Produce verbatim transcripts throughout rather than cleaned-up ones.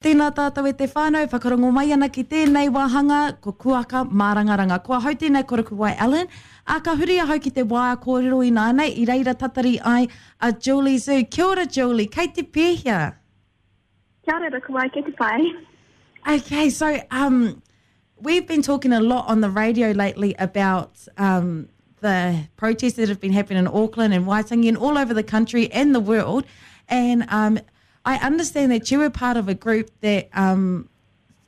Tēnā tātou e te whānau, whakarongo mai ana ki tēnei wāhanga, ko Kuaka Mārangaranga. Ko ahau tēnei ko Rukuwai Allen, a ka huri ahau ki te waea kōrero ināianei, i reira tatari ai a Julie Zhu. Kia ora Julie, kei te pēhea? Kia ora Rukuwai, kei te pai. Okay, so um, we've been talking a lot on the radio lately about um, the protests that have been happening in Auckland and Waitangi and all over the country and the world. And um, I understand that you were part of a group that um,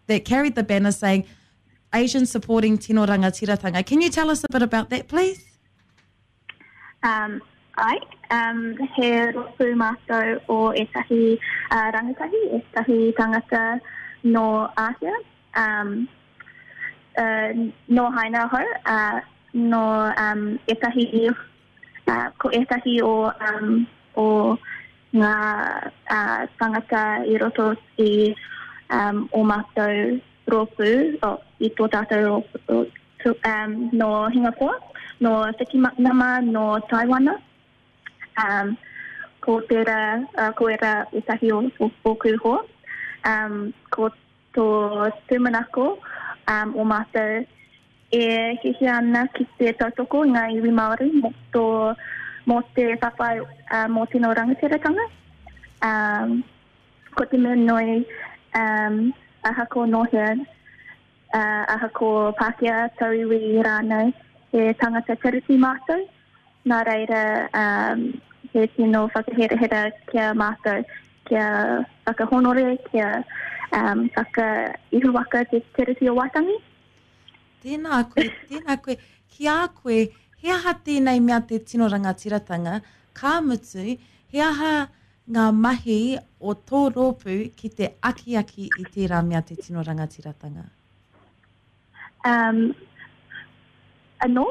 that carried the banner saying Asian supporting Tino Rangatiratanga. Can you tell us a bit about that, please? Um, ai, um, he rōpū mātou o ētahi uh, rangatahi, ētahi tangata no Āhia, um, uh, no Haina ahau, uh, no um, ētahi, uh, ko ētahi o, um, o ngā uh, tangata i roto i um, o mātou rōpū, o, i tō tātou rōpū, tu, um, no Hingapore, no Whitimanama, no Taiwana. Um, ko tērā, uh, ko era ētahi o, o, ōku hoa. Um, ko tō tūmanako um, o mātou e hiahia ana ki te tautoko i ngā iwi Māori mō, tō, mō te whawhai uh, mō tino rangatiratanga. Um, ko te mea nui um, ahako nō hea, uh, ahako Pākehā, tauiwi rānei, he tangata tiriti mātou. Nā reira, um, he tino whakaherahera kia mātou, kia whakahonore, kia um, whakaihuwaka te tiriti o Waitangi. Tēnā koe, tēnā koe. Ki a koe, he aha tēnei mea te tino rangatiratanga, ka mutu, he aha ngā mahi o tō rōpū ki te akiaki i tērā mea te tino rangatiratanga? Um, anō?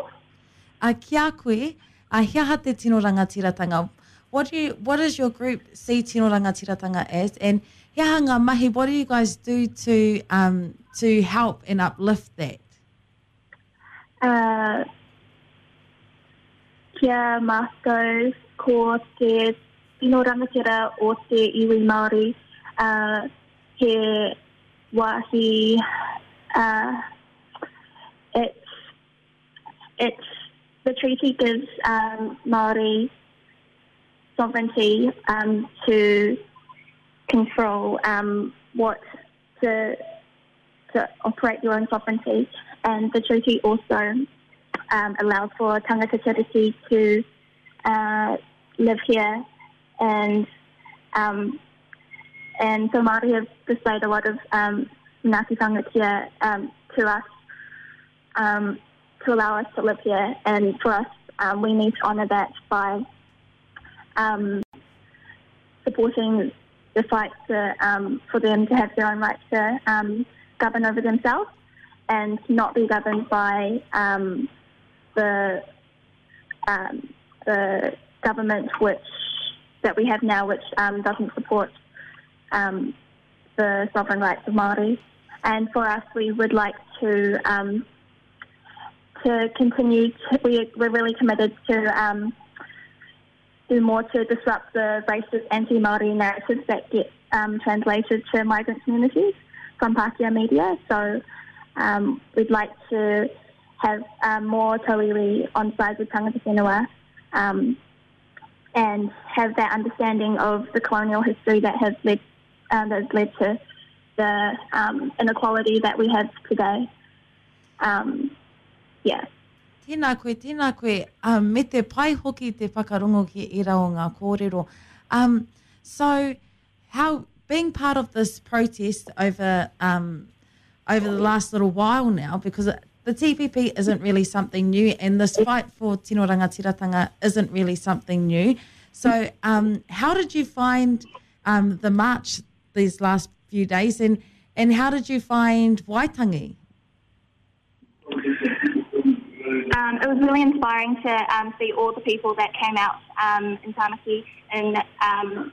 A ki a koe, a he aha te tino rangatiratanga? What do you, what does your group see tino rangatiratanga as? And he aha ngā mahi, what do you guys do to, um, to help and uplift that? Uh, kia mātou ko te tino rangatira o te iwi Māori, uh, he wāhi, uh, it's, it's, the treaty gives um, Māori sovereignty um, to control um, what to, to operate your own sovereignty, and the treaty also um, allows for tangata tiriti to uh, live here, and um, and so Māori have displayed a lot of um, manaakitanga here um, to us, um, to allow us to live here, and for us, um, we need to honour that by um, supporting the fight to, um, for them to have their own right to um, govern over themselves and not be governed by um, the, um, the government which that we have now, which um, doesn't support um, the sovereign rights of Māori. And for us, we would like to um, to continue. To, we, we're really committed to um, do more to disrupt the racist anti-Māori narratives that get um, translated to migrant communities from Pākehā media. So um, we'd like to have um, more tauiwi on side with tangata whenua, um, and have that understanding of the colonial history that has led, um, that has led to the um, inequality that we have today. Um, yeah. Tēnā koe, tēnā koe. Um, me te pai hoki te whakarongo ki era o ngā kōrero. Um, so, how being part of this protest over, um, over the last little while now, because the T P P isn't really something new, and this fight for tino rangatiratanga isn't really something new. So um, how did you find, um, the march these last few days, and, and how did you find Waitangi? Um, it was really inspiring to, um, see all the people that came out, um, in Tāmaki and, um,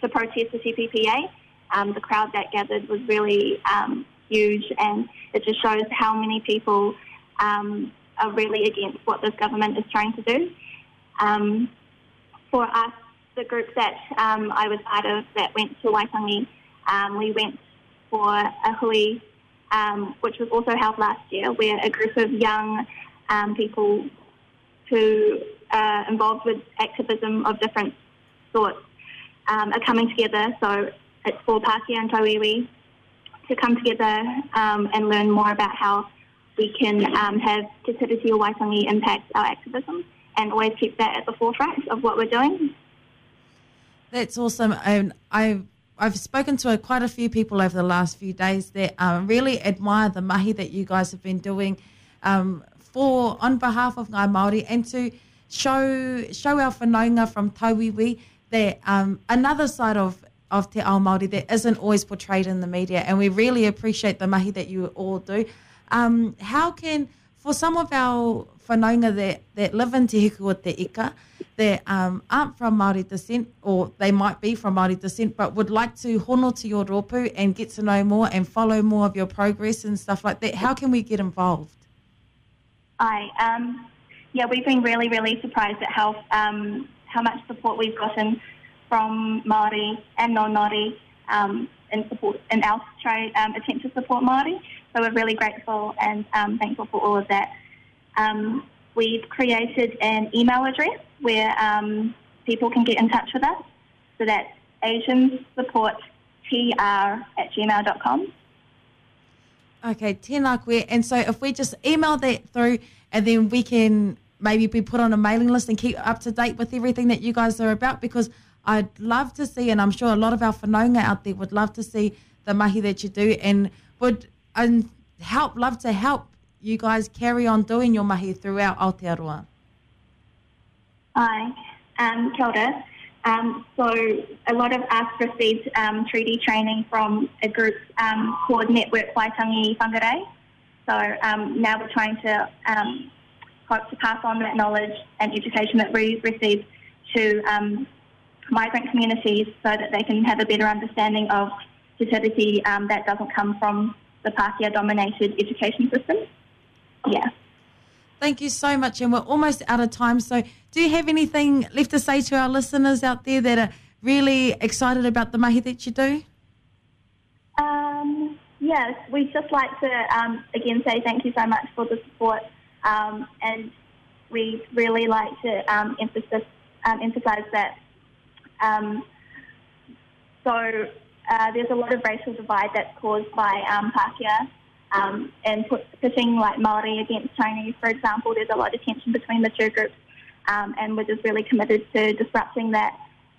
to protest the T P P A. Um, the crowd that gathered was really, um, huge, and it just shows how many people, um, are really against what this government is trying to do. Um, for us, the group that, um, I was part of that went to Waitangi, um, we went for a hui, um, which was also held last year, where a group of young um, people who are involved with activism of different sorts um, are coming together. So it's for Pākehā and Tauiwi to come together um, and learn more about how we can um, have Te Tiriti o Waitangi impact our activism and always keep that at the forefront of what we're doing. That's awesome. And I've, I've spoken to a, quite a few people over the last few days that um, really admire the mahi that you guys have been doing um, for on behalf of Ngāi Māori, and to show show our whanaunga from Tauiwi that um, another side of, of Te Ao Māori that isn't always portrayed in the media, and we really appreciate the mahi that you all do. Um, how can, for some of our whanaunga that, that live in Te Hiku o Te Ika, that um, aren't from Māori descent, or they might be from Māori descent, but would like to hono to your rōpū and get to know more and follow more of your progress and stuff like that, how can we get involved? I, um, yeah, we've been really, really surprised at how, um, how much support we've gotten from Māori and non-Māori um, in support in our try, um, attempt to support Māori. So we're really grateful and um, thankful for all of that. Um, we've created an email address where um, people can get in touch with us. So that's asian support t r at gmail dot com. Okay, tēnā koe. And so if we just email that through, and then we can maybe be put on a mailing list and keep up to date with everything that you guys are about, because I'd love to see, and I'm sure a lot of our whanaunga out there would love to see the mahi that you do, and would and help, love to help you guys carry on doing your mahi throughout Aotearoa. Hi, um, kia ora. Um, so a lot of us received um, treaty training from a group um, called Network Waitangi Whangarei. So, um, now we're trying to, um, hope to pass on that knowledge and education that we've received to, um, migrant communities so that they can have a better understanding of Te Tiriti, um, that doesn't come from the Pākehā-dominated education system. Yeah. Thank you so much, and we're almost out of time, so do you have anything left to say to our listeners out there that are really excited about the mahi that you do? Um, yes, we'd just like to, um, again, say thank you so much for the support, um, and we'd really like to, um, emphasis, um, emphasise that um, so, uh, there's a lot of racial divide that's caused by, um, Pākehā, um, and put, pitting like Māori against Chinese, for example. There's a lot of tension between the two groups, um, and we're just really committed to disrupting that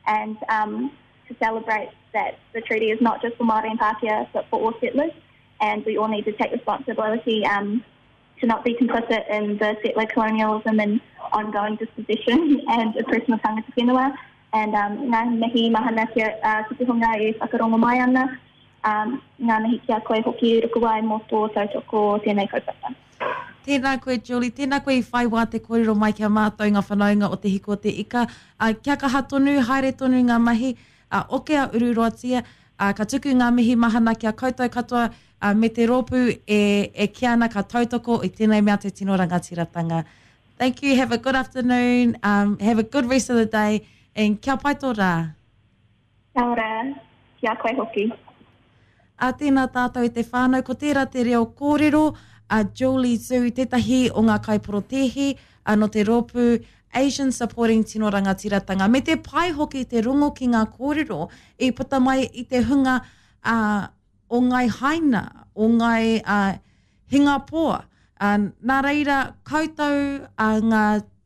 and, um, to celebrate that the treaty is not just for Māori and Pākehā, but for all settlers, and we all need to take responsibility, um, to not be complicit in the settler colonialism and ongoing dispossession and oppression of tangata whenua. And, um, ngā mihi mahana kia, uh, ki te hunga e whakarongo mai ana, um, ngā mihi kia koe hoki rukuwai mō tō tautoko tēnei kaupapa. Tēnā koe, Julie, tēnā koe i whai wā te kōrero mai kia mātou ngā whanaunga o Te Hiku o Te Ika. Uh, kia kaha tonu, haere tonu ngā mahi, uh, oke a ururoatia, uh, ka tuku ngā mihi mahana kia koutou katoa, uh, me te rōpū e, e kia ana ka tautoko i tēnei mea te tino rangatiratanga. Thank you, have a good afternoon, um, have a good rest of the day, and kia pai tō rā. Kia ora, kia koe hoki. A tēnā tātou i te whānau, ko tērā te reo kōrero a Julie Zhu, tētahi o ngā kaiporotēhi, a no te rōpū Asian Supporting Tino Rangatiratanga. Me te pai hoki te rongo ki ngā kōrero i puta mai i te hunga, uh, o ngai haina, o ngai, uh, hingapoa. Uh, nā reira koutou, uh, ngā,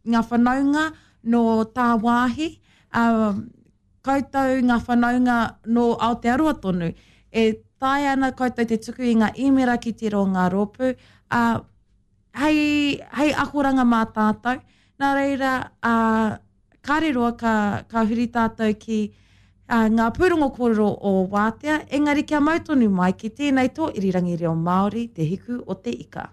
ngā whanaunga no tāwāhi, um, koutou ngā whanaunga no Aotearoa tonu. E tae ana koutou te tuku i ngā īmera ki te rō ngā rōpū, uh, hei, hei akoranga mā tātou. Nā reira, uh, kāre roa ka, ka huri tātou ki, uh, ngā pūrongo kōrero o Wātea, engari kia mau tonu mai ki tēnei tō irirangi reo Māori, Te Hiku o Te Ika.